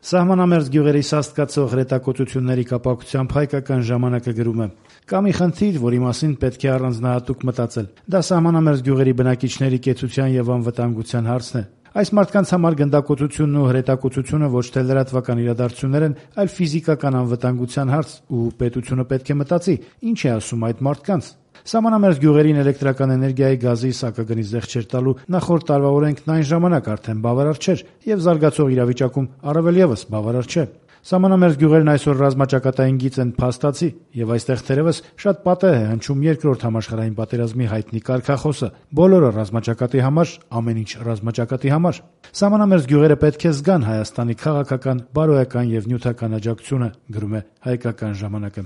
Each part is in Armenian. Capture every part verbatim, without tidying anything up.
Սահմանամերձ գյուղերի սաստկացող հրետակոծությունների կապակցությամբ Հայկական ժամանակը գրում է. «Կա մի խնդիր, որի մասին պետք է առանձնահատուկ մտածել. դա սահմանամերձ գյուղերի բնակիչների կեցության եւ անվտանգության հարցն է։ Այս մարդկանց համար գնդակոծությունն ու հրետակոծությունը ոչ թե լրատվական իրադարձություններ են, այլ ֆիզիկական անվտանգության հարց, ու պետությունը պետք է մտածի, ինչ է ասում այդ մարդկանց։ Սահմանամերձ գյուղերին էլեկտրական էներգիայի, գազի, սակագնի զեղչեր տալու նախորդ տարվա օրենքն այն ժամանակ արդեն բավարար չէր եւ զարգացող իրավիճակում առավել եւս բավարար չէ։ Սահմանամերձ գյուղերն այսօր ռազմաճակատային գիծ են փաստացի, եւ այստեղ թերեւս շատ պատեհ է հնչում երկրորդ համաշխարհային պատերազմի հայտնի կարգախոսը. բոլորը ռազմաճակատի համար, ամեն ինչ ռազմաճակատի համար։ Սահմանամերձ գյուղերը պետք է զգան Հայաստանի քաղաքական, բարոյական եւ նյութական աջակցությունը», գրում է Հայկական ժամանակը։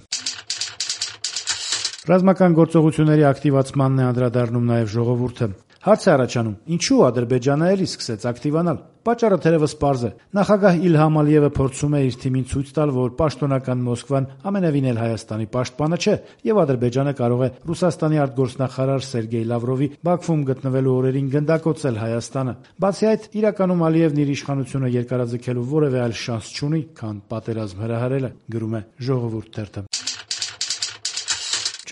Ռազմական գործողությունների ակտիվացմանն է անդրադառնում նաեւ ժողովուրդը։ Հարց է առաջանում. ինչու Ադրբեջանը էլի սկսեց ակտիվանալ։ Պատճառը թերևս պարզ է։ Նախագահ Իլհամ Ալիևը փորձում է իր թիմին ցույց տալ, որ պաշտոնական Մոսկվան ամենևին էլ Հայաստանի պաշտպանը չէ, եւ Ադրբեջանը կարող է Ռուսաստանի արտգործնախարար Սերգեյ Լավրովի Բաքվում գտնվելու օրերին գնդակոծել Հայաստանը։ Բացի այդ, իրականում Ալիևն իր իշխանությունը երկարաձգելու որևէ այլ շանս չունի, քան պատերազմ հրահրելը, գրում է Ժողովուրդ թերթը։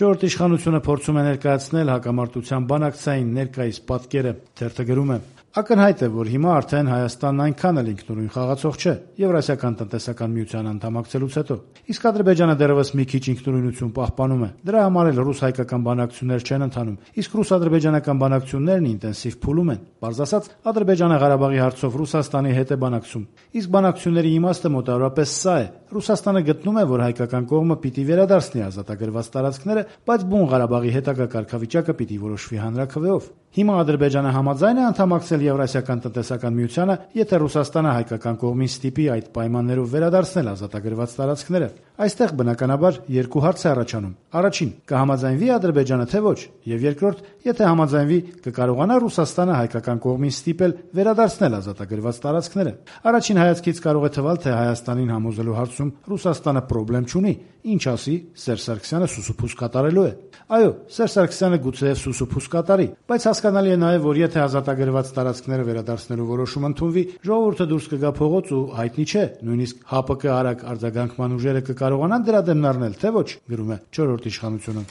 Չորրորդ իշխանությունը փորձում է ներկայացնել հակամարտության բանակցային ներկայիս պատկերը։ Թերթը գրում է. «Ակնհայտ է, որ հիմա արդեն Հայաստանն այնքան էլ ինքնուրույն խաղացող չէ Եվրասիական տնտեսական միության անդամակցելուց հետո։ Իսկ Ադրբեջանը դեռևս մի քիչ ինքնուրույնություն պահպանում է։ Դրա համար էլ ռուս-հայկական բանակցություններ չեն ընթանում, իսկ ռուս-ադրբեջանական բանակցություններն ինտենսիվ փուլում են։ Պարզ ասած, Ադրբեջանը Ղարաբաղի հարցով Ռուսաստանի հետ է բանակցում։ Իսկ բանակցությունների իմաստը մոտավորապես սա է. Ռուսաստանը գտնում է, որ հայկական կողմը պիտի վերադարձնի ազատագրված տարածքները, բայց բուն Ղարաբաղի հետագա կարգավիճակը պիտի որոշվի հանրաքվեով։ Հիմա Ադրբեջանը համաձայն է անդամակցել Եվրասիական տնտեսական միությանը, եթե Ռուսաստանը հայկական կողմին ստիպի այդ պայմաններով վերադարձնել ազատագրված տարածքները։ Այստեղ բնականաբար երկու հարց է առաջանում. առաջին, կհամաձայնվի Ադրբեջանը, թե ոչ, եւ երկրորդ, եթե համաձայնվի, կկարողանա Ռուսաստանը հայկական կողմին ստիպել վերադարձնել ազատագրված տարածքները։ Առաջին հայացքից կարող է թվալ, թե Հայաստանին համոզելու հարցում Ռուսաստանը խնդրեմ չունի, ինչ ասի, Սերժ Սարգսյանը սուսուփուս կատարելու է։ Այո, Սերժ Սարգսյանը գուցեև սուսուփուս կատարի, բայց հասկանալի է նաեւ, որ եթե ազատագրված տարածքները վերադարձնելու որոշում ընդունվի, ժողովուրդը դուրս կգա փողոց ու հայտնի չէ, նույնիսկ ՀԱՊԿ արագ արձագանքման ուժերը կկարողանան դրա դեմն առնել, թե ոչ, գրում է չորրորդ իշխանությունը։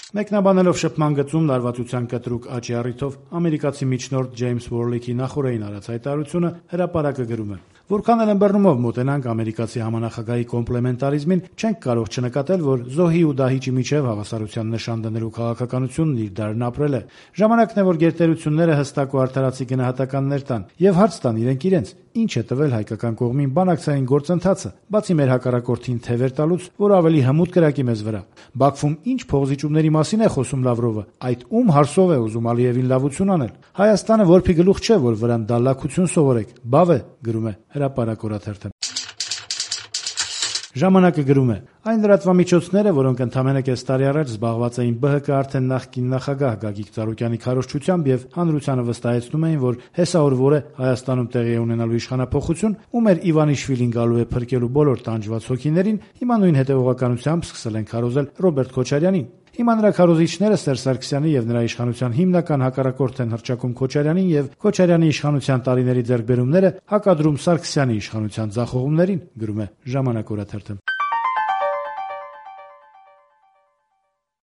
Մեկնաբանելով շփման գծում լարվածության կտրուկ աճի առիթով ամերիկացի միջնորդ Ջեյմս Վորլիքի նախօրեին արած հայտարարությունը Հրապարակը գրում է. Որքան էլ ըմբռնումով մոտենանք ամերիկացի համանախագահի կոմպլեմենտարիզմին, չենք կարող չնկատել, որ զոհի ու դահիճի միջև հավասարության նշան դնելու քաղաքականությունն իր դարն ապրել է։ Ժամանակն է, որ գերտերությունները հստակ ու արդարացի գնահատականներ տան եւ հարց տան իրենք իրենց, ինչ է տվել հայկական կողմին բանակցային գործընթացը, բացի մեր հակառակորդին թևեր տալուց, որ ավելի հմուտ կրակի մեզ վրա։ Բաքվում ինչ փողզիջումների մասին է խոսում Լավրովը, այդ ում հարցով է ուզում Ալիևին լավություն անել։ Հայաստանը որփի գլուխ չէ, որ վրան դալլակություն սովորեք, բավ է, գրում է Հրապարակ օրաթերթը։ Ժամանակը գրում է. այն լրատվամիջոցները, որոնք ընդամենը կես տարի առաջ զբաղված էին ԲՀԿ արդեն նախկին նախագահ Գագիկ Ծառուկյանի քարոզչությամբ եւ հանրությանը վստահեցնում էին, որ հեսաօրվոր է Հայաստանում տեղի է ունենալու իշխանափոխություն, ու մեր Իվանիշվիլին գալու է փրկելու բոլոր տանջված հոգիներին, հիմա նույն հետեւողականությամբ սկսել են քարոզել Ռոբերտ Քոչարյանին։ Հիմա նրա քարոզիչները Սերժ Սարգսյանի եւ նրա իշխանության հիմնական հակառակորդ են հռչակում Քոչարյանին եւ Քոչարյանի իշխանության տարիների ձեռքբերումները հակադրում Սարգսյանի իշխանության ձախողումներին, գրում է Ժամանակ օրաթերթը։